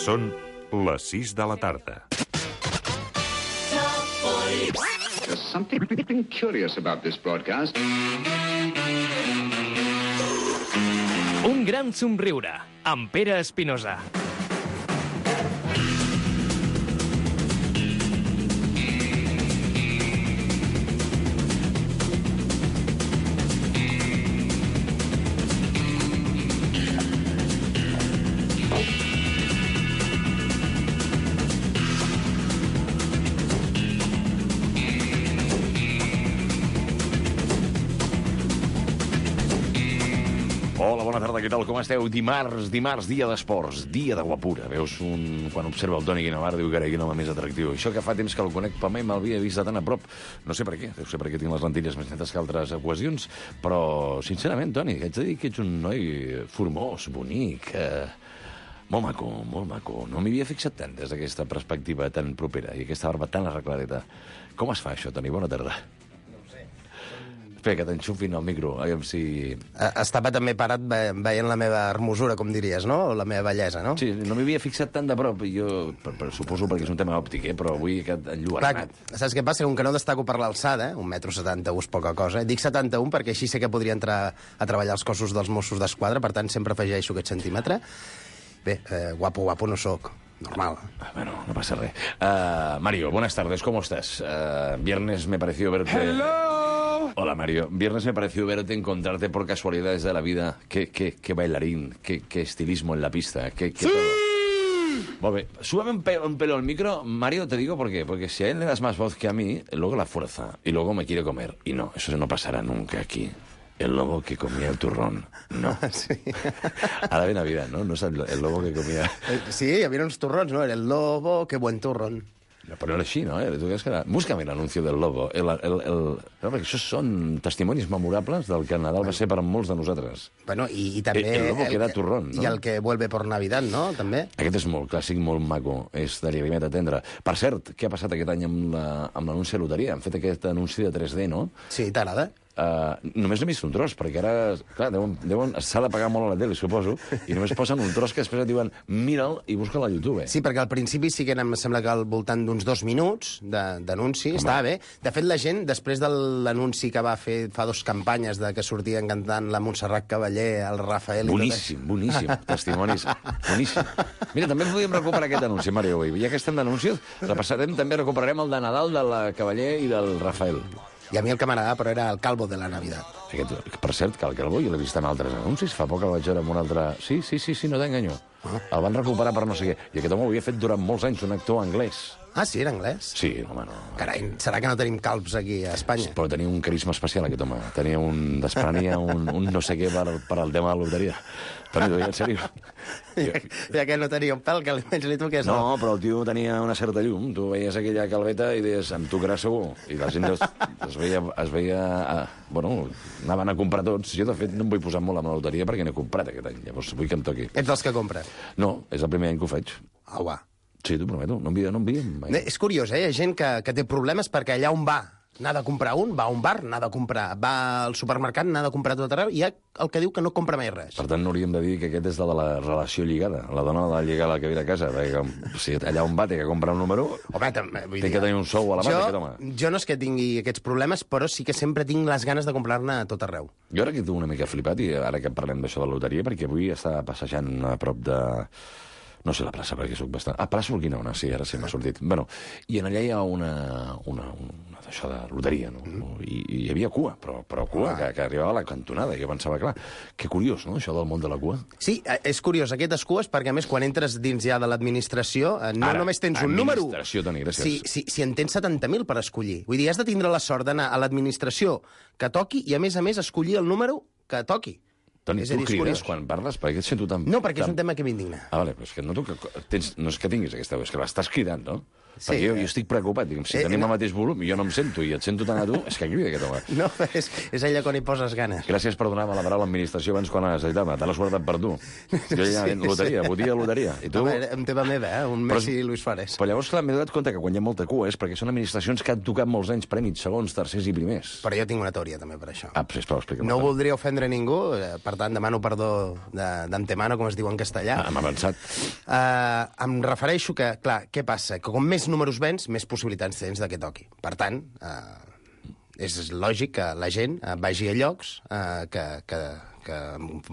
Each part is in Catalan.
Són les 6 de la tarda. There's something curious about this broadcast. Un gran somriure, amb Pere Espinosa. Hola, bona tarda, què tal, com esteu? Dimarts, dia d'esports, dia de guapura. Veus, quan observa el Toni Guinovart, diu, carai, quin home més atractiu. Això que fa temps que el conec, per mai me'l vist de tan a prop. No sé per què, deu ser perquè tinc les lentilles més netes que altres ocasions, però, sincerament, Toni, haig de dir que ets un noi formós, bonic, molt maco, molt maco. No m'hi havia fixat tant des d'aquesta perspectiva tan propera i aquesta barba tan arregladeta. Com es fa això, Toni? Bona tarda. Espera, que t'enxufin al micro, aviam si... Estava també parat veient la meva hermosura, com diries, no? O la meva bellesa, no? Sí, no m'hi havia fixat tant de prop, jo suposo perquè és un tema òptic, però avui aquest enlluernat. Saps què passa? Com que no destaco per l'alçada, 1,71 m és poca cosa, dic 71 perquè així sé que podria entrar a treballar als cossos dels Mossos d'Esquadra, per tant sempre afegeixo aquest centímetre. Bé, guapo no sóc. Normal. Bueno, no pasa res. Mario, buenas tardes, ¿cómo estás? Viernes me pareció verte... ¡Hello! Hola, Mario. Viernes me pareció verte, encontrarte por casualidades de la vida. Qué bailarín, qué estilismo en la pista. ¡Sí! Molt bé. Súbame un pelo al micro, Mario, te digo por qué. Porque si a él le das más voz que a mí, luego la fuerza, y luego me quiere comer. Y no, eso no pasará nunca aquí. El lobo que comía el turrón. No. Sí. Ara ve Navidad, no? No és el lobo que comia... Sí, hi havia uns turrons, no? Era el lobo, que buen turrón. No, però era així, no? Tu creus que era... Búscame l'anuncio del lobo. No, perquè això són testimonis memorables del que Nadal va ser per molts de nosaltres. Bueno, i també... El lobo que da turrón, no? I el que vuelve por Navidad, no? També. Aquest és molt clàssic, molt maco. És de Llagrimeta Tendra. Per cert, què ha passat aquest any amb l'anunci de loteria? Han fet aquest anunci de 3D, no? Sí, t'agrada? Només n'he vist un tros, perquè ara, clar, s'ha de pagar molt a la tele, suposo, i només posen un tros que després et diuen mira'l i busca-la a YouTube. Sí, perquè al principi sí que em sembla que al voltant d'uns 2 minuts d'anunci, estava bé. De fet, la gent, després de l'anunci que va fer fa 2 campanyes de que sortien cantant la Montserrat Cavaller, el Rafael... Boníssim, testimonis, boníssim. Mira, també podríem recuperar aquest anunci, Mario, avui. Ja que estem d'anuncis, també recuperarem el de Nadal de la Cavaller i del Rafael. I a mi el que m'agradava, però era el Calvo de la Navidad. Per cert, que el Calvo jo l'he vist en altres anuncis. Fa poc el vaig veure en un altre... Sí, no t'enganyo. El van recuperar per no sé què. I aquest home ho havia fet durant molts anys, un actor anglès. Ah, sí, era anglès? Sí, home, no. Carai, serà que no tenim calbs aquí a Espanya? Però tenia un carisma especial, aquest home. Desprenia un no sé què per al tema de la loteria. Toni, t'ho dic en sèrio. Ja que no tenia un pèl, que almenys li toqués... No, però el tio tenia una certa llum. Tu veies aquella calveta i deies, em tocarà segur. I la gent es veia... Bueno, anaven a comprar tots. Jo, de fet, no em vull posar molt amb la loteria perquè n'he comprat aquest any. Llavors vull que em toqui. Ets dels que compra? No, és el primer any que ho faig. Au, va. Sí, t'ho prometo, no enviem mai. És curiós, Hi ha gent que té problemes perquè allà on va n'ha de comprar va a un bar, n'ha de comprar, va al supermercat, n'ha de comprar tot arreu, i hi ha el que diu que no compra mai res. Per tant, no hauríem de dir que aquest és de la relació lligada. La dona ha de lligar la que ve a casa, perquè si allà on va té que comprar un número, home, té que tenir un sou a la mà, aquest home. Jo no és que tingui aquests problemes, però sí que sempre tinc les ganes de comprar-ne a tot arreu. Jo ara que tinc una mica flipat, i ara que parlem d'això de la loteria, perquè avui estava passejant a prop de... No sé la plaça, perquè soc bastant... plaça Urquinaona, sí, ara sí m'ha sortit. Bueno, i en allà hi ha una d'això de loteria, no? I hi havia cua, però cua que arribava a la cantonada. I jo pensava, clar, que curiós, no?, això del món de la cua. Sí, és curiós, aquestes cues, perquè a més, quan entres dins ja de l'administració, no només tens un número... Administració, Toni, gràcies. Si en tens 70.000 per escollir. Vull dir, has de tindre la sort d'anar a l'administració que toqui i, a més, escollir el número que toqui. Toni, tu crides quan parles? Per què et sento tan... No, perquè és un tema que m'indigna. Vale, però és que no és que tinguis aquesta veu, és que l'estàs cridant, no? Sí, Perquè jo estic preocupat. Dic, si tenim el mateix volum i jo no em sento i et sento tant a tu, és que crida aquest home. No, és allò quan hi poses ganes. Gràcies per donar-me la paraula a l'administració abans quan la necessitava. Te l'ha suertat per tu. Jo ja loteria, votia loteria. I tu... Home, en teva meva, un Messi i Luis Suárez. Però llavors, clar, m'he donat compte que quan hi ha molta cua és perquè són administracions que han tocat molts anys prèmits, segons, tercers i primers. Però jo tinc una teoria també per això. Sisplau, explica'm. No voldria ofendre ningú, per tant demano perdó d'antemano, com es diu en castellà. Hem avançat. Em refereixo que, clar, què passa? Que com més números vens, més possibilitats tens que toqui. Per tant, és lògic que la gent vagi a llocs que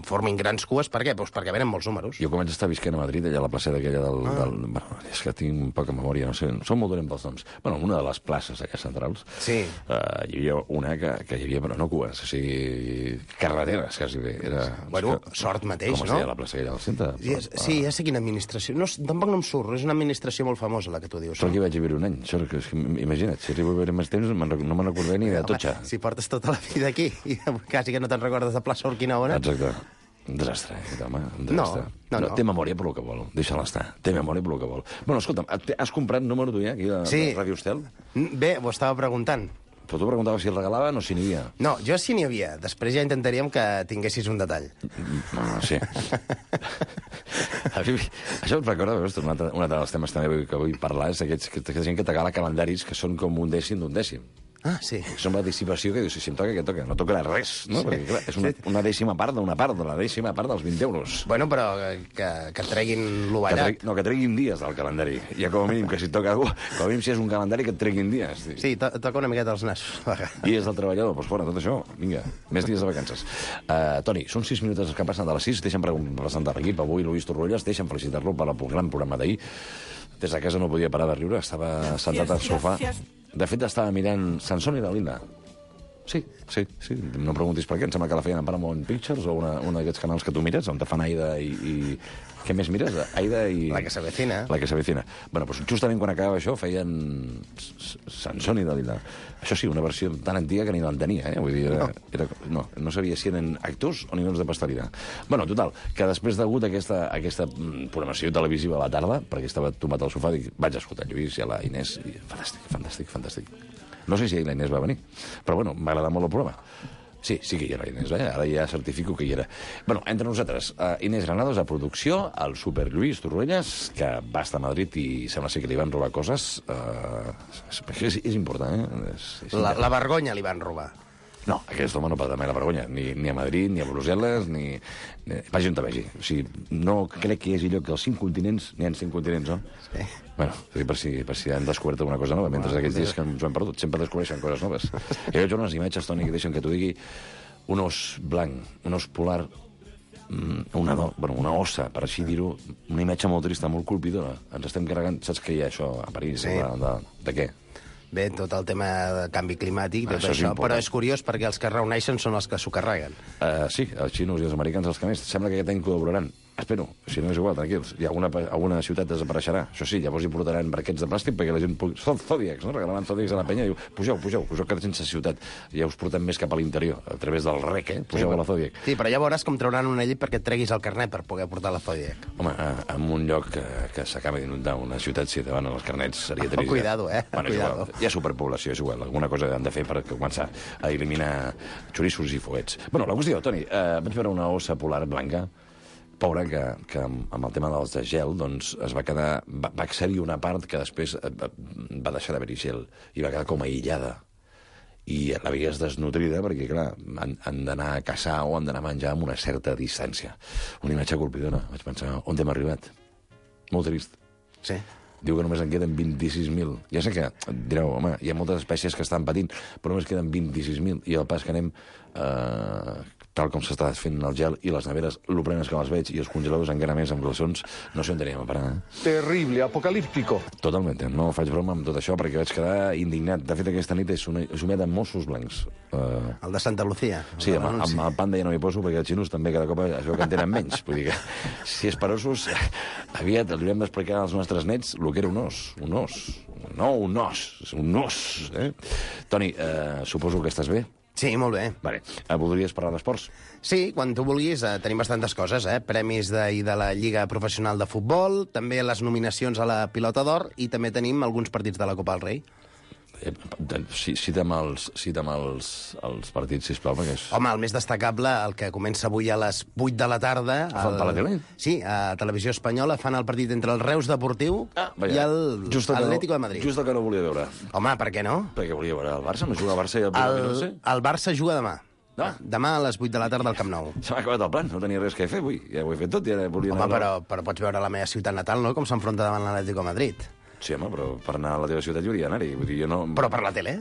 formin grans cues. Per què? Pues perquè venen molts números. Jo començo a estar visquent a Madrid, allà a la placeta aquella del... Bueno, és que tinc poca memòria, no sé, som molt dolent pels noms. Bueno, una de les places allà centrals, sí. Hi havia una que hi havia, però no cues, o sigui, carreteres, quasi bé. Era, bueno, sort mateix, no? Com es deia la plaça aquella del centre? Sí, ja sé quina administració. No, tampoc no em surt, és una administració molt famosa, la que tu dius. Però aquí vaig viure un any. Imagina't, si arribo a viure més temps, no me'n recordaré ni de Totxa. Si portes tota la vida aquí i quasi que no te'n recordes de plaça Urquinaona. Exacte. Un desastre, home, un desastre. No. Té memòria per lo que vol, deixa-la estar. Té memòria per lo que vol. Bueno, escolta'm, has comprat número tu ja, aquí, de Ràdio Estel? Bé, ho estava preguntant. Però tu preguntaves si el regalaven o si n'hi havia. No, jo sí n'hi havia. Després ja intentaríem que tinguessis un detall. Sí. Això em recorda, veus, un altre dels temes també que vull parlar és aquesta gent que t'agala calendaris que són com un dècim d'un dècim. Ah, sí. És una dissipació que dius, si em toca, què toca? No tocarà res, no? Sí. Perquè, clar, és una dècima part d'una part, de la dècima part dels 20 euros. Bueno, però que treguin l'ovallat. Que treguin dies del calendari. Ja com a mínim que si et toca algú, com a mínim si és un calendari que et treguin dies. Sí, toca una miqueta els nassos. Dies del treballador, doncs fora, tot això. Vinga, més dies de vacances. Toni, són 6 minuts que passen de les 6. Deixa'm presentar l'equip. Avui Luis Torrolles, deixa'm felicitar-lo per el gran programa d'ahir. Des de casa no podia parar de riure, estava sentat al sofà. De fet, estava mirant Sansón i Dalila. Sí. No preguntis per què, em sembla que la feien a Paramount Pictures o un d'aquests canals que tu mires, on te fan Aida i... Què més mires? Aida i... La que s'avecina. La que s'avecina. Bueno, doncs justament quan acabava això feien Sansón i Dalila. Això sí, una versió tan antiga que ni l'entenia, eh? Vull dir, no sabia si eren actors o ninots de pasteleria. Bueno, total, que després d'hagut aquesta programació televisiva a la tarda, perquè estava tomat al sofà, dic, vaig escoltar Lluís i a la Inés, i fantàstic. No sé si la Inés va venir, però bueno, m'ha agradat molt el programa. Sí que hi era Inés, ara ja certifico que hi era. Bueno, entre nosaltres, Inés Granados a producció, el Super Lluís Torrelles, que va estar a Madrid i sembla ser que li van robar coses. És important, eh? La vergonya li van robar. No, aquest home no pot dar mai la vergonya, ni a Madrid, ni a Brussel·les, ni... Vagi on te vagi. O sigui, no crec que hi hagi lloc que als 5 continents, n'hi ha 5 continents, no? Sí. Bueno, per si han descobert alguna cosa nova, mentre aquests dies que ens ho hem perdut, sempre descobreixen coses noves. Jo veig unes imatges, Toni, que deixen que t'ho digui, un os blanc, un os polar, una ossa, per així dir-ho, una imatge molt trista, molt colpidora. Ens estem carregant, saps què hi ha això a París? Sí. De què? Bé, tot el tema de canvi climàtic, tot això, però és curiós perquè els que reuneixen són els que s'ho carreguen. Sí, els xinos i els americans els que més. Sembla que aquest any col·laboraran. Espero, si no és igual, tranquils. I alguna ciutat desapareixerà. Això sí, llavors hi portaran barquets de plàstic perquè la gent pugui... Són zòdiacs, no? Regalaran zòdiacs a la penya i diu, pugeu, que sense ciutat. Ja us portem més cap a l'interior, a través del rec, eh? Pugeu a la zòdiac. Sí, però ja veuràs com trauran una llei perquè et treguis el carnet per poder portar la zòdiac. Home, en un lloc que s'acaba d'inundar una ciutat, si davant els carnets seria trist. Cuidado, Bueno, cuidado. Hi ha superpoblació, és igual. Alguna cosa han de fer per començar a eliminar xorissos i foguets. Bueno, la qüestió, Toni, vaig veure una ossa polar blanca, pobra, que amb el tema dels de gel doncs, es va quedar... Va accedir una part que després va deixar d'haver-hi gel i va quedar com aïllada. I la veies desnutrida perquè, clar, han d'anar a caçar o han d'anar a menjar amb una certa distància. Una imatge colpidora. Vaig pensar, on hem arribat? Molt trist. Sí. Diu que només en queden 26.000. Ja sé que direu, home, hi ha moltes espècies que estan patint, però només queden 26.000. I el pas que anem, tal com s'està fent el gel i les neveres, lo plenes que les veig, i els congeladors encara més amb glaçons, no sé on teníem a parar. Terrible, apocalíptico. Totalment, no faig broma amb tot això perquè vaig quedar indignat. De fet, aquesta nit he somiat amb Mossos Blancs. El de Santa Lucía. Sí, amb el panda ja no m'hi poso perquè els xinos també cada cop es veu que en tenen menys. Vull dir que si és per ossos, aviat els haurem d'explicar als nostres nets el que era un os. Un os. No un os, un os. Toni, suposo que estàs bé? Sí, molt bé. Vale. Voldries parlar d'esports? Sí, quan tu vulguis, tenim bastantes coses, Premis d'ahir de la Lliga Professional de Futbol, també les nominacions a la Pilota d'Or i també tenim alguns partits de la Copa del Rei. Cita'm els partits, sisplau, perquè és... Home, el més destacable, el que comença avui a les 8 de la tarda... Fan per la tele? Sí, a Televisió Espanyola fan el partit entre el Reus Deportiu i l'Atlético de Madrid. Just el que no volia veure. Home, per què no? Perquè volia veure el Barça, no juga el Barça i el El Barça juga demà. No. Demà a les 8 de la tarda al Camp Nou. Se m'ha acabat el plan, no tenia res que fer avui. Ja ho he fet tot i ara volia Home, però pots veure la meva ciutat natal, no?, com s'enfronta davant l'Atlético de Madrid. Sí, home, però per anar a la teva ciutat hi hauria d'anar-hi. Vull dir, jo no... Però per la tele?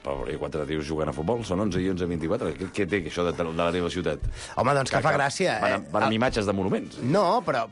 Però hi ha 4 tios jugant a futbol, són 11 i 11, 24. Què té això de la teva ciutat? Home, doncs que fa gràcia. Van amb imatges de monuments. No, però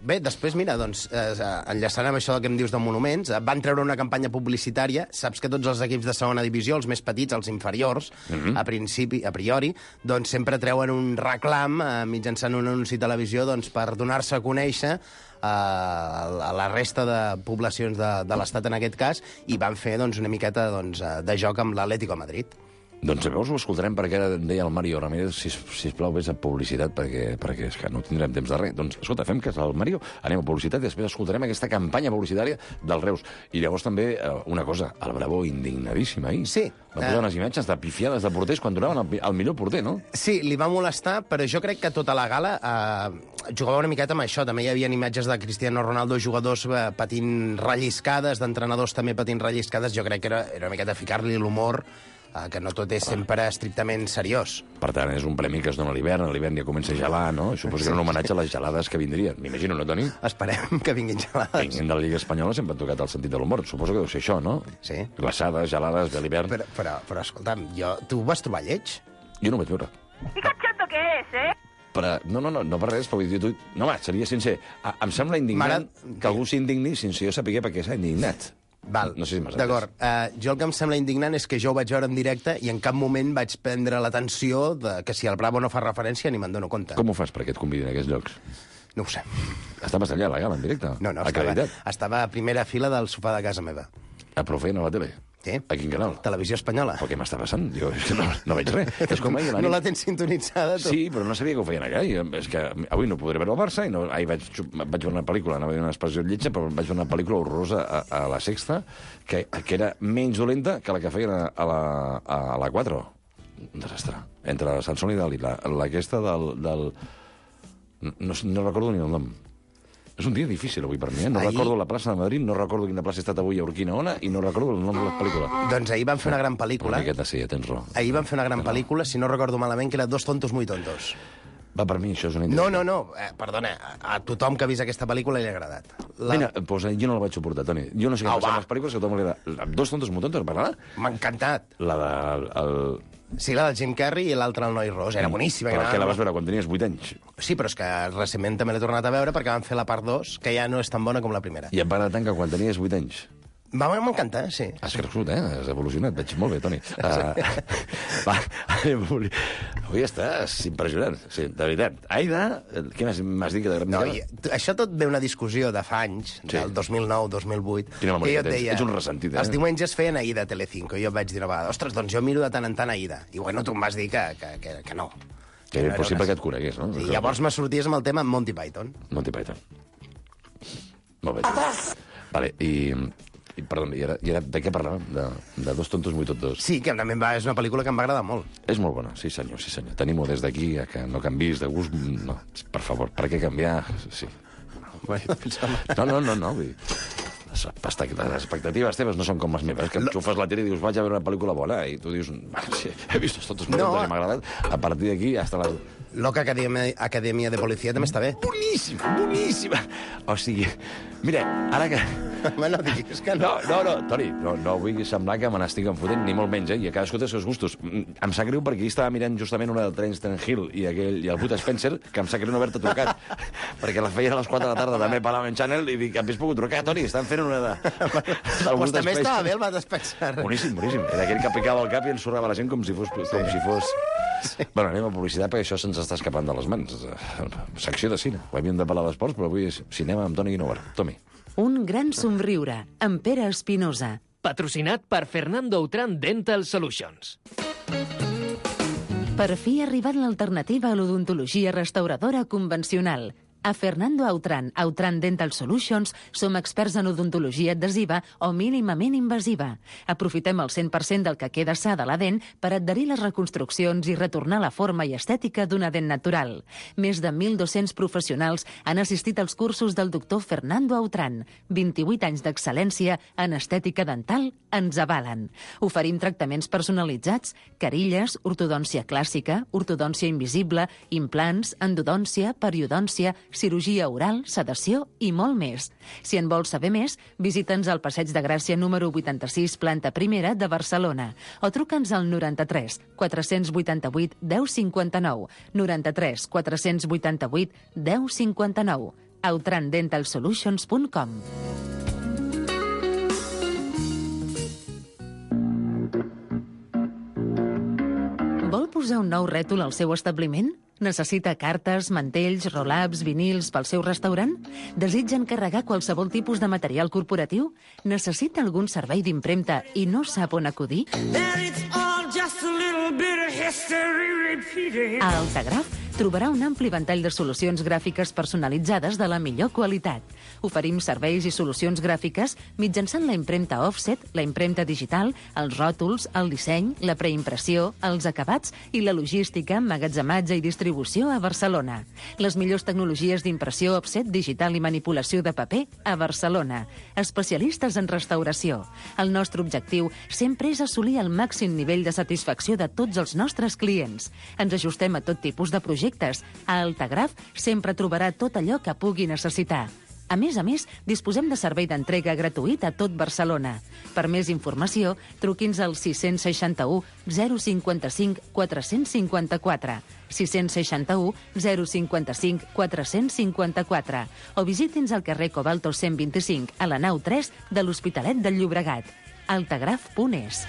bé, després, mira, doncs, enllaçant amb això que em dius de monuments, van treure una campanya publicitària. Saps que tots els equips de segona divisió, els més petits, els inferiors, a priori, doncs sempre treuen un reclam mitjançant un anunci de televisió doncs, per donar-se a conèixer a la resta de poblacions de l'Estat, en aquest cas, i van fer doncs, una miqueta doncs, de joc amb l'Atlético de Madrid. Doncs llavors ho escoltarem perquè ara deia el Mario Ramírez, sisplau, vés a publicitat perquè és que no tindrem temps de res. Doncs escolta, fem que és el Mario, anem a publicitat i després escoltarem aquesta campanya publicitària del Reus. I llavors també una cosa, el Bravo indignadíssim ahir. Sí. Va posar unes imatges de pifiades de porters quan donaven el millor porter, no? Sí, li va molestar, però jo crec que tota la gala jugava una miqueta amb això. També hi havia imatges de Cristiano Ronaldo, jugadors patint relliscades, d'entrenadors també patint relliscades. Jo crec que era una miqueta ficar-li l'humor, que no tot és sempre estrictament seriós. Per tant, és un premi que es dona a l'hivern ja comença a gelar, no? Suposo que era un homenatge a les gelades que vindrien. M'imagino, no, Toni? Esperem que vinguin gelades. Vinguin de la Lliga Espanyola sempre han tocat el sentit de l'humor. Suposo que deu ser això, no? Sí. Glaçades, gelades, ve l'hivern... Però escolta'm, tu ho vas trobar lleig? Jo no ho vaig veure. ¿Y cachondo que es, eh? Però, no per res, però vull dir, no, home, seria sincer. Em sembla indignant que algú s'indigni sense jo saber per què s'ha indignat. Val, no sé si m'has d'acord. Jo el que em sembla indignant és que jo ho vaig veure en directe i en cap moment vaig prendre l'atenció que si el Bravo no fa referència ni me'n dono compte. Com ho fas perquè et convidin a aquests llocs? No ho sé. Estaves allà a la gala, en directe? No, estava a primera fila del sofà de casa meva. A però feien a la tele? Sí. A quin canal? Televisió Espanyola. Però què m'està passant? Jo és que no veig res. És com ahir, no la tens sintonitzada, tu? Sí, però no sabia que ho feien allà. És que avui no podré veure el Barça i ahir vaig veure una pel·lícula, anava a dir una expressió lletja, però vaig veure una pel·lícula horrorosa a la Sexta, que era menys dolenta que la que feien a la 4. Un desastre. Entre la Sansón i Dalí, aquesta del... No recordo ni el nom. És un dia difícil avui per mi, No recordo la plaça de Madrid, no recordo quina plaça he estat avui a Urquina Ona i no recordo el nom de la pel·lícula. Doncs ahir van fer una gran pel·lícula. Una miqueta sí, tens raó. Ahir van fer una gran pel·lícula, si no recordo malament, que era Dos tontos muy tontos. Va, per mi això és una... No, perdona, a tothom que ha vist aquesta pel·lícula li ha agradat. Mira, doncs jo no la vaig suportar, Toni. Jo no sé què passa amb les pel·lícules que a tothom li agrada. Dos tontos muy tontos, parlarà? M'ha encantat. La del... Sí, la del Jim Carrey i l'altra el Noi Ros. Era boníssima. Però que la vas veure quan tenies 8 anys. Sí, però és que recentment també l'he tornat a veure perquè van fer la part 2, que ja no és tan bona com la primera. I em va agradar tant que quan tenies 8 anys. M'encanta, sí. Has crescut, Has evolucionat. Veig molt bé, Toni. Avui estàs impressionant. Sí, de veritat. Aida, què m'has dit que t'agrada? No, això tot ve una discussió de fa anys, del 2009-2008. Quina memòria tens? Ets un ressentit, Els diumenges feien Aida a Telecinco, i jo vaig dir una vegada, ostres, doncs jo miro de tant en tant Aida. I bueno, tu em vas dir que no. Que era impossible que et conegués, no? I llavors me sorties amb el tema Monty Python. Monty Python. Molt bé. Vale, perdó, i ara de què parlàvem? De Dos tontos muy tontos. Sí, que també és una pel·lícula que em va agradar molt. És molt bona, sí senyor. Tenim-ho des d'aquí, que no canvis de gust. No, per favor, per què canviar? Sí. No. Vull dir, les expectatives teves no són com les meves, que enxufes la tele i dius, vaig a veure una pel·lícula bona, i tu dius, sí, he vist Dos tontos muy tontos i m'ha agradat. A partir d'aquí, hasta la... Loca Acadèmia de Policia també està bé. Boníssima! O sigui, mira, ara que... Home, no diguis que no. No, Toni, no vull semblar que me n'estic enfotent, ni molt menys, i a cadascú té els seus gustos. Em sap greu perquè estava mirant justament una del Terence Hill i el Bud Spencer, que em sap greu no haver-te trucat, perquè la feien a les 4 de la tarda també per l'Amen Channel, i dic, hauries pogut trucar, Toni, estan fent una de... Pues també estava bé el Bud Spencer. Boníssim. Era aquell que picava el cap i ensorrava la gent com si fos... Sí. Bueno, anem a publicitat perquè això se'ns està escapant de les mans. Secció de cine. Ho havíem de parlar d'esports, però avui és cinema amb Toni Guinovar. Tomi. Un gran somriure, amb Pere Espinosa. Patrocinat per Fernando Outram Dental Solutions. Per fi ha arribat l'alternativa a l'odontologia restauradora convencional. A Fernando Autran Dental Solutions som experts en odontologia adhesiva o mínimament invasiva. Aprofitem el 100% del que queda sa de la dent per adherir les reconstruccions i retornar la forma i estètica d'una dent natural. Més de 1.200 professionals han assistit als cursos del doctor Fernando Autran. 28 anys d'excel·lència en estètica dental ens avalen. Oferim tractaments personalitzats, carilles, ortodòncia clàssica, ortodòncia invisible, implants, endodòncia, periodòncia, cirurgia oral, sedació i molt més. Si en vols saber més, visita'ns al Passeig de Gràcia número 86, planta primera de Barcelona, o truca'ns al 93 488 1059, 93 488 1059, autrandentalsolutions.com. Vol posar un nou rètol al seu establiment? Necessita cartes, mantells, roll-ups, vinils pel seu restaurant? Desitja encarregar qualsevol tipus de material corporatiu? Necessita algun servei d'impremta i no sap on acudir? A Altagraf trobarà un ampli ventall de solucions gràfiques personalitzades de la millor qualitat. Oferim serveis i solucions gràfiques mitjançant la impremta offset, la impremta digital, els ròtols, el disseny, la preimpressió, els acabats i la logística, emmagatzematge i distribució a Barcelona. Les millors tecnologies d'impressió offset, digital i manipulació de paper a Barcelona. Especialistes en restauració. El nostre objectiu sempre és assolir el màxim nivell de satisfacció de tots els nostres clients. Ens ajustem a tot tipus de projectes. A Altagraf sempre trobarà tot allò que pugui necessitar. A més, disposem de servei d'entrega gratuït a tot Barcelona. Per més informació, truqui'ns al 661 055 454, 661 055 454, o visiti'ns al carrer Cobalto 125, a la nau 3 de l'Hospitalet del Llobregat. altagraf.es.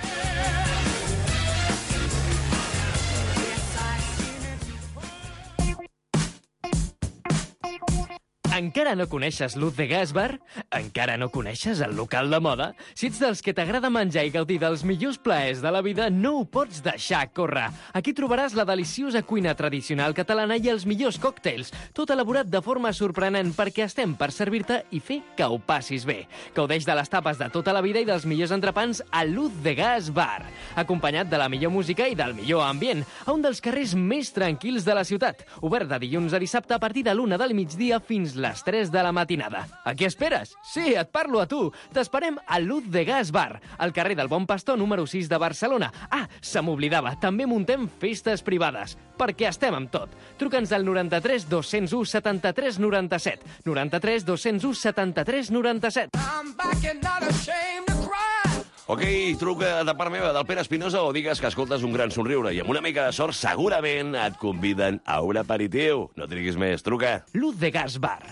Encara no coneixes l'Uz de Gas Bar? Encara no coneixes el local de moda? Si ets dels que t'agrada menjar i gaudir dels millors plaers de la vida, no ho pots deixar córrer. Aquí trobaràs la deliciosa cuina tradicional catalana i els millors còctels, tot elaborat de forma sorprenent perquè estem per servir-te i fer que ho passis bé. Gaudeix de les tapes de tota la vida i dels millors entrepans a l'Uz de Gas Bar, acompanyat de la millor música i del millor ambient, a un dels carrers més tranquils de la ciutat, obert de dilluns a dissabte a partir de l'1 del migdia fins les 3 de la matinada. A què esperes? Sí, et parlo a tu. T'esperem a l'Uz de Gas Bar, al carrer del Bon Pastor número 6 de Barcelona. Ah, se m'oblidava, també muntem festes privades, perquè estem amb tot. Truca'ns al 93 201 73 97, 93 201 73 97. Ok, truca de part meva del Pere Espinosa o digues que escoltes un gran somriure i amb una mica de sort segurament et conviden a un aperitiu. No triguis més, truca. l'Uz de Gas Bar.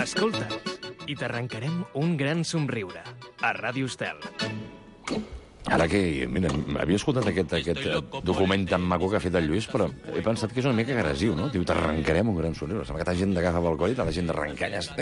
Escolta'ns i t'arrencarem un gran somriure a Ràdio Estel. Ara que, mira, havia escoltat aquest document tan maco que ha fet el Lluís, però he pensat que és una mica agressiu, no? Diu, t'arrencarem un gran somriure. Sembla que t'ha gent d'agafar pel coll i t'ha la gent d'arrencalles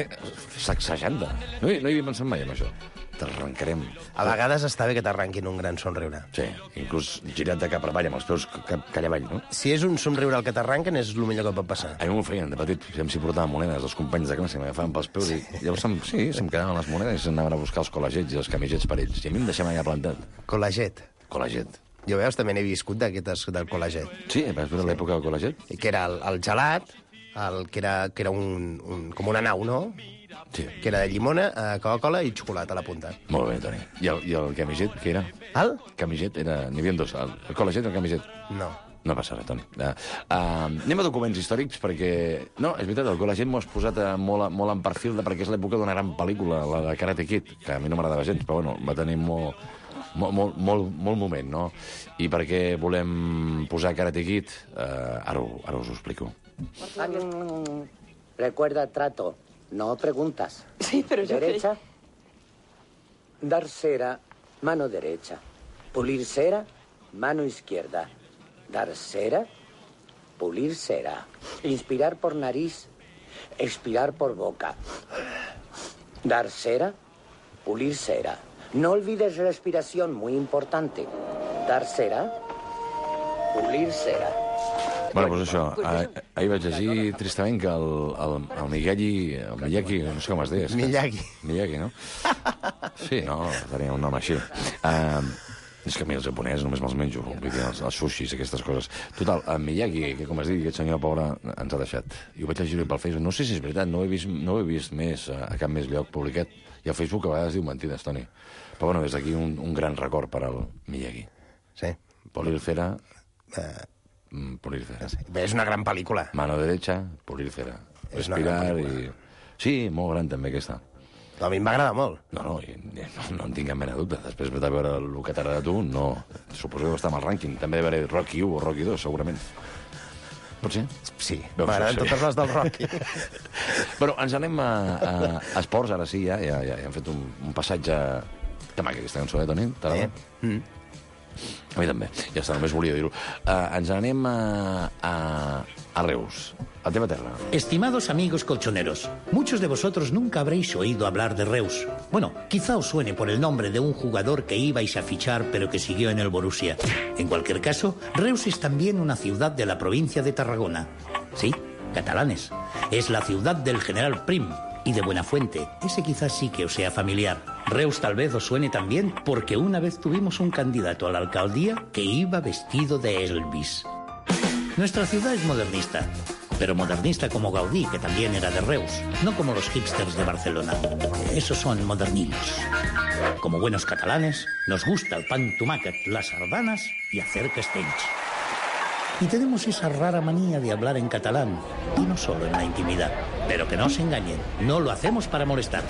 sacsejant-te. No hi havia pensat mai en això. T'arrencarem. A vegades està bé que t'arrenquin un gran somriure. Sí, inclús girat de cap avall, amb els peus calla avall, no? Si és un somriure el que t'arrenquen, és el millor que pot passar. A mi m'ho feien de petit, si portaven monedes, els companys de classe m'agafaven pels peus i llavors se'm quedaven les monedes i s'anaven a buscar els col·legets i els camisets per ells. I a mi em deixaven allà plantat. Col·leget. Col·leget. Jo, veus, també n'he viscut d'aquestes del col·leget. Sí, vas veure l'època del col·leget? Que era el gelat, que era com una nau, no? Sí. Que era de llimona, Coca-Cola i xocolata a la punta. Molt bé, Toni. I el camiset, què era? El? Camiset, n'hi havia dos. El col·leget i el camiset. No. No passa res, Toni. Anem a documents històrics, perquè... No, és veritat, el col·leget m'ho has posat molt en perfil, perquè és l'època d'una gran pel·lícula, la de Karate Kid, que a mi no m'agradava gens, però bueno, va tenir molt moment, no? I per què volem posar Karate Kid? Ara us ho explico. Recuerda trato, no preguntas. Sí, pero yo... Derecha, dar cera, mano derecha. Pulir cera, mano izquierda. Dar cera, pulir cera. Inspirar por nariz, expirar por boca. Dar cera, pulir cera. No olvides respiración, muy importante. Dar cera, pulir cera. Bueno, doncs això, ahir vaig llegir tristament que el Miyagi, no sé com es deia. Miyagi, no? Sí, no, tenia un nom així. És que a mi els japonesos només me'ls menjo, vull dir, els sushis, aquestes coses. Total, el Miyagi, que com es diu, aquest senyor pobre, ens ha deixat. I ho vaig llegir pel Facebook. No sé si és veritat, no ho he vist més a cap més lloc publicat. I el Facebook a vegades diu mentides, Toni. Però bueno, des d'aquí un gran record per al Miyagi. Sí. Polir cera... Polir cera. Bé, és una gran pel·lícula. Mano derecha, polir cera. Respirar i... Sí, molt gran també aquesta. A mi m'agrada molt. No en tinc cap mena de dubte. Després de veure el que t'agrada a tu, no. Suposo que està amb el rànquing. També veuré Rocky 1 o Rocky 2, segurament. Pot ser? Sí, m'agraden totes les del Rocky. Però ens anem a esports, ara sí, ja hem fet un passatge... Que maca aquesta cançó, Toni? T'agrada? A mi també, ja està, només volia dir-ho. Ens anem a Reus, a teva terra. Estimados amigos colchoneros, muchos de vosotros nunca habréis oído hablar de Reus. Bueno, quizá os suene por el nombre de un jugador que ibais a fichar pero que siguió en el Borussia. En cualquier caso, Reus es también una ciudad de la provincia de Tarragona. Sí, catalanes. Es la ciudad del general Prim y de Buenafuente. Ese quizás sí que os sea familiar. Reus tal vez os suene también porque una vez tuvimos un candidato a la alcaldía que iba vestido de Elvis. Nuestra ciudad es modernista, pero modernista como Gaudí, que también era de Reus, no como los hipsters de Barcelona. Esos son moderninos. Como buenos catalanes, nos gusta el pan tomàquet, las sardanas y hacer castells. Y tenemos esa rara manía de hablar en catalán, y no solo en la intimidad. Pero que no se engañen, no lo hacemos para molestar.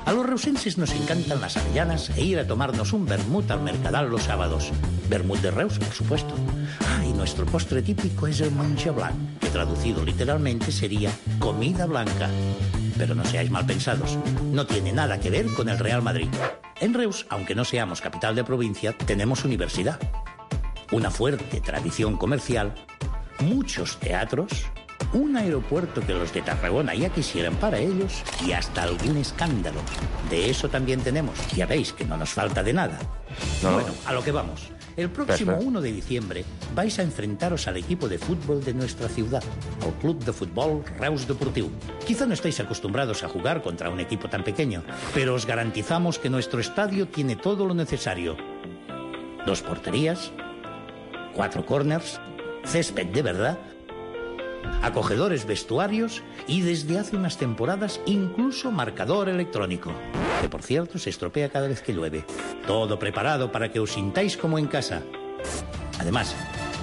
A los reusenses nos encantan las avellanas e ir a tomarnos un vermut al Mercadal los sábados. Vermut de Reus, por supuesto. Y nuestro postre típico es el menjar blanc, que traducido literalmente sería comida blanca. Pero no seáis mal pensados, no tiene nada que ver con el Real Madrid. En Reus, aunque no seamos capital de provincia, tenemos universidad, una fuerte tradición comercial, muchos teatros, un aeropuerto que los de Tarragona ya quisieran para ellos y hasta algún escándalo. De eso también tenemos. Ya veis que no nos falta de nada. Bueno, a lo que vamos. El próximo 1 de diciembre vais a enfrentaros al equipo de fútbol de nuestra ciudad, al Club de Fútbol Reus Deportiu. Quizá no estáis acostumbrados a jugar contra un equipo tan pequeño, pero os garantizamos que nuestro estadio tiene todo lo necesario. 2 porterías, 4 corners, césped de verdad, acogedores vestuarios y desde hace unas temporadas incluso marcador electrónico, que por cierto se estropea cada vez que llueve. Todo preparado para que os sintáis como en casa. Además,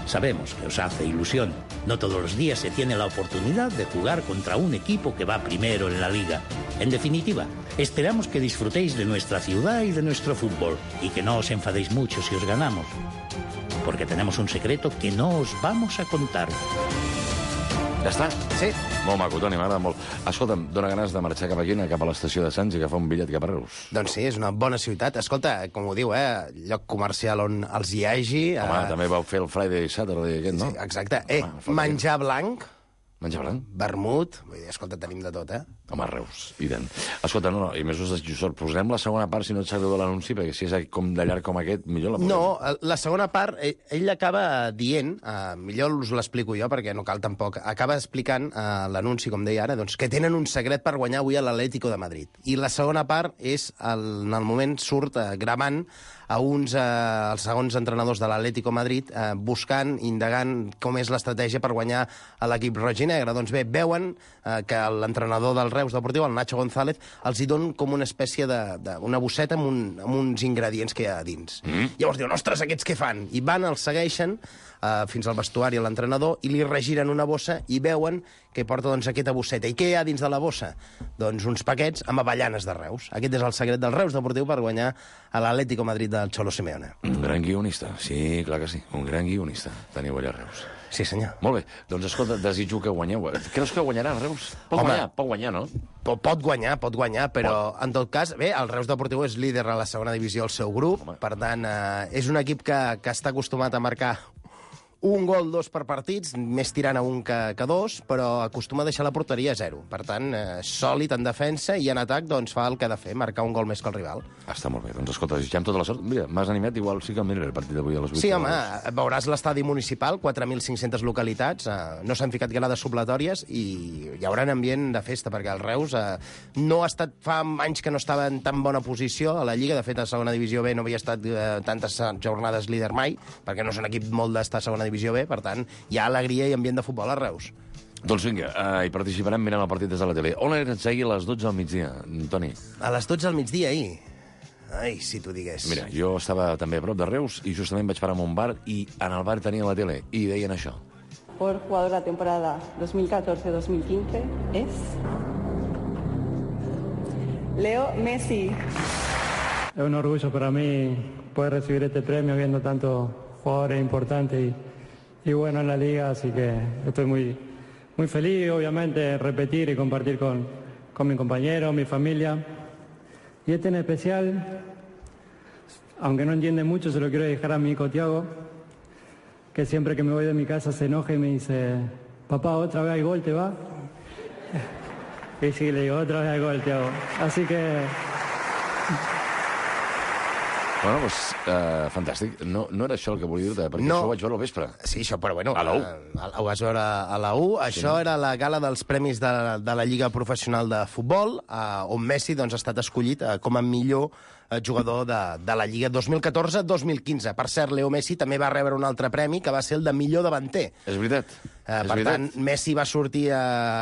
sabemos que os hace ilusión. No todos los días se tiene la oportunidad de jugar contra un equipo que va primero en la liga. En definitiva, esperamos que disfrutéis de nuestra ciudad y de nuestro fútbol y que no os enfadéis mucho si os ganamos, porque tenemos un secreto que no os vamos a contar. Ja està? Sí. Molt maco, Toni, m'agrada molt. Escolta'm, dóna ganes de marxar cap aquí, cap a l'estació de Sants i agafar un bitllet cap a Reus. Doncs sí, és una bona ciutat. Escolta, com ho diu, lloc comercial on els hi hagi... Home, també vau fer el Friday Saturday aquest, no? Sí, exacte. Menjar blanc... Menjar blanc? Vermut... Vull dir, escolta, tenim de tot, Home, Reus, i tant. Escolta, i més us desitjo sort. Posarem la segona part, si no et sap greu de l'anunci, perquè si és com de llarg com aquest, millor la posem. No, la segona part, ell acaba dient, millor us l'explico jo, perquè no cal tampoc, acaba explicant l'anunci, com deia ara, doncs, que tenen un secret per guanyar avui a l'Atlético de Madrid. I la segona part és, en el moment surt gravant a els segons entrenadors de l'Atlético Madrid buscant, indagant com és l'estratègia per guanyar a l'equip roig i negre. Doncs bé, veuen que l'entrenador del Reus Deportiu, el Nacho González, els hi don com una espècie d'una bosseta amb uns ingredients que hi ha a dins. Llavors diuen, ostres, aquests què fan? I van, els segueixen fins al vestuari a l'entrenador i li regiren una bossa i veuen que porta doncs, aquesta bosseta. I què hi ha dins de la bossa? Doncs uns paquets amb avellanes de Reus. Aquest és el secret del Reus Deportiu per guanyar a l'Atlético Madrid del Cholo Simeone. Un gran guionista, sí, clar que sí. Un gran guionista. Teniu allà a Reus. Sí, senyor. Molt bé. Doncs, escolta, desitjo que guanyeu. Creus que guanyarà el Reus? Pot guanyar, no? Pot guanyar, però en tot cas, bé, el Reus Deportiu és líder a la segona divisió del seu grup, per tant, és un equip que està acostumat a marcar un gol, 2 per partits, més tirant a un que 2, però acostuma a deixar la porteria a 0. Per tant, sòlid en defensa i en atac doncs, fa el que ha de fer, marcar un gol més que el rival. Està molt bé. Doncs escolta, desitgem tota la sort. Mira, m'has animat, igual sí que el miraré el partit d'avui a les 8. Sí, home, veuràs l'estadi municipal, 4.500 localitats, no s'han ficat grades supletòries i hi haurà un ambient de festa, perquè el Reus no ha estat, fa anys que no estava en tan bona posició a la Lliga, de fet a segona divisió B no havia estat tantes jornades líder mai, perquè no és un equip molt d'estar a segona divisió B, per tant, hi ha alegria i ambient de futbol a Reus. Doncs vinga, hi participarem mirant el partit des de la tele. On eres ahir a les 12 al migdia, Toni? A les 12 al migdia, ahir? Ai, si t'ho digués. Mira, jo estava també a prop de Reus i justament vaig parar en un bar i en el bar tenia la tele i deien això. Por jugador de la temporada 2014-2015 es Leo Messi. Es un orgullo para mí poder recibir este premio viendo tantos jugadores importantes y bueno en la liga, así que estoy muy feliz, obviamente, repetir y compartir con mis compañeros, mi familia. Y este en especial, aunque no entiende mucho, se lo quiero dejar a mi hijo Thiago, que siempre que me voy de mi casa se enoja y me dice, papá, otra vez hay gol, ¿te va? Y sí, le digo, otra vez hay gol, Thiago. Así que... Bueno, doncs, fantàstic. No era això el que volia dir-te, perquè això ho vaig veure al vespre. Sí, això, però bueno... A la U. Ho vas veure a la U. Això era la gala dels premis de la Lliga Professional de Futbol, on Messi doncs, ha estat escollit com a millor jugador de la Lliga 2014-2015. Per cert, Leo Messi també va rebre un altre premi, que va ser el de millor davanter. És veritat. Per tant, Messi va sortir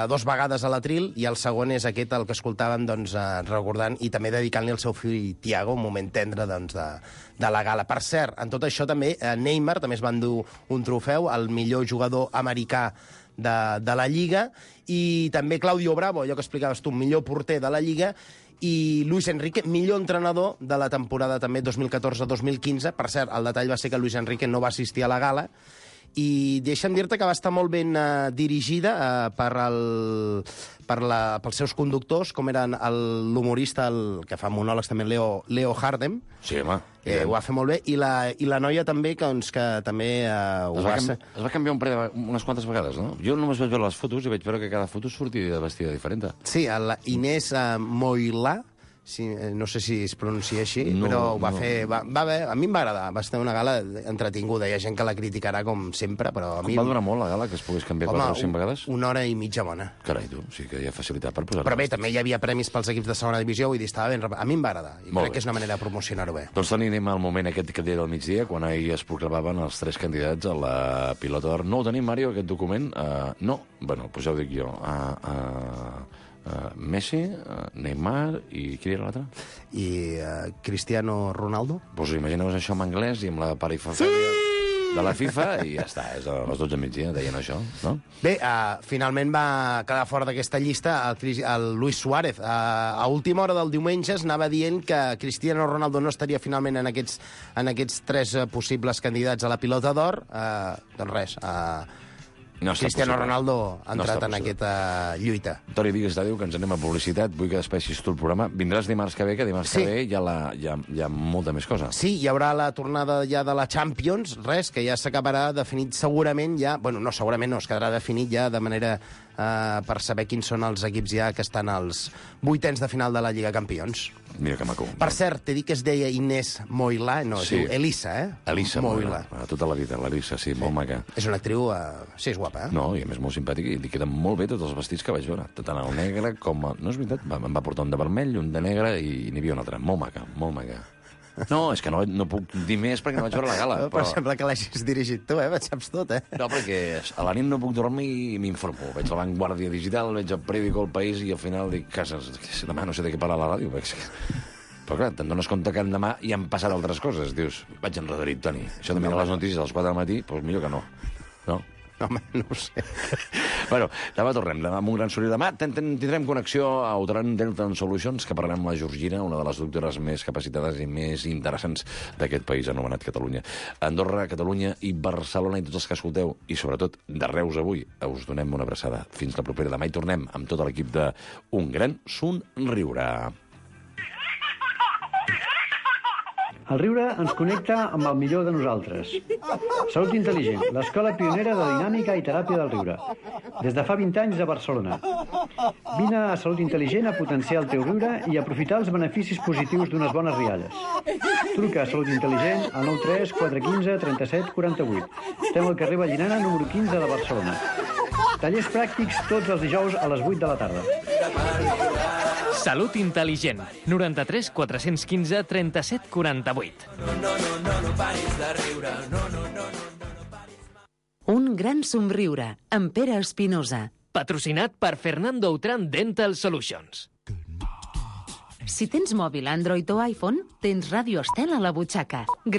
2 vegades a l'Atril i el segon és aquest, el que escoltàvem, doncs, recordant i també dedicant-li al seu fill Thiago, un moment tendre doncs, de la gala. Per cert, en tot això també Neymar també es va endur un trofeu, el millor jugador americà de la Lliga, i també Claudio Bravo, allò que explicaves tu, millor porter de la Lliga, i Luis Enrique, millor entrenador de la temporada també 2014-2015. Per cert, el detall va ser que Luis Enrique no va assistir a la gala, i deixa'm dir-te que va estar molt ben dirigida pels seus conductors, com eren l'humorista, el que fa monòlegs també, Leo Hardem. Sí, home. Ho va fer molt bé, i la noia també, que també ho va ser. Es va canviar unes quantes vegades, no? Jo només vaig veure les fotos i vaig veure que cada foto sortia vestida diferent. Sí, la Inés Moilà, sí, no sé si es pronuncia així, però ho va fer... Va bé, a mi em va agradar, va ser una gala entretinguda. Hi ha gent que la criticarà, com sempre, però a mi... Va durar molt la gala, que es pogués canviar 4 o 5 vegades? 1 hora i mitja bona. Carai, tu, sí que hi ha facilitat per posar-ho. Però bé, també hi havia premis pels equips de segona divisió, vull dir, estava ben... A mi em va agradar, i crec que és una manera de promocionar-ho bé. Doncs anem al moment aquest que deia del migdia, quan ahir es proclamaven els 3 candidats a la pilota d'or. No ho tenim, Mario, aquest document? No? Bueno, doncs ja ho dic jo. Messi, Neymar i qui era l'altre? I Cristiano Ronaldo. Doncs imagineu-vos això en anglès i amb la parifafèlia de la FIFA i ja està, és a les 12 del migdia, deien això, no? Bé, finalment va quedar fora d'aquesta llista el Luis Suárez. A última hora del diumenge es anava dient que Cristiano Ronaldo no estaria finalment en aquests 3 possibles candidats a la pilota d'or. Doncs res, Cristiano Ronaldo ha entrat en aquesta lluita. Toni, digues d'adéu, que ens anem a publicitat. Vull que despeixis tu el programa. Vindràs dimarts que ve, que dimarts que ve hi ha molta més cosa. Sí, hi haurà la tornada ja de la Champions, que ja s'acabarà definit segurament ja... Bueno, no, segurament no, es quedarà definit ja de manera per saber quins són els equips ja que estan als 8ens de final de la Lliga Campions. Mira que maco. Per cert, t'he dit que es deia Inés Moilà, no, es diu Elisa, Elisa Moilà. Tota la vida, l'Elisa, sí, molt maca. És una actriu, sí, és guapa, No, i a més molt simpàtica, i li queden molt bé tots els vestits que vaig veure, tant el negre com... No és veritat, em va portar un de vermell, un de negre, i n'hi havia un altre. Molt maca, molt maca. No, és que no puc dir més perquè no vaig veure la gala. Però sembla que l'hagis dirigit tu, et saps tot, No, perquè a la nit no puc dormir i m'informo. Veig la Vanguardia Digital, veig el periòdico El País i al final dic, demà no sé de què parla la ràdio. Però clar, te'n dones compte que demà hi han passat altres coses. Dius, vaig enredarit, Toni. Això de mirar les notícies a les 4 del matí, doncs millor que no. No? Home, no ho sé. Bueno, demà tornem, demà amb un gran sortir. Demà tindrem connexió a Outran Delta Solutions, que parlarem amb la Georgina, una de les doctores més capacitades i més interessants d'aquest país anomenat Catalunya. Andorra, Catalunya i Barcelona, i tots els que escolteu, i sobretot de Reus avui, us donem una abraçada. Fins la propera. Demà hi tornem amb tot l'equip de Un Gran Somriure. El riure ens connecta amb el millor de nosaltres. Salut Intel·ligent, l'escola pionera de dinàmica i teràpia del riure. Des de fa 20 anys a Barcelona. Vine a Salut Intel·ligent a potenciar el teu riure i aprofitar els beneficis positius d'unes bones rialles. Truca a Salut Intel·ligent al 93 415 37 48. Estem al carrer Vallinana, número 15 de Barcelona. Tallers pràctics tots els dijous a les 8 de la tarda. Salut Intel·ligent. 93 415 37 48. Un gran somriure, amb Pere Espinosa. Patrocinat per Fernando Outram Dental Solutions. Si tens mòbil Android o iPhone, tens Ràdio Estel a la butxaca.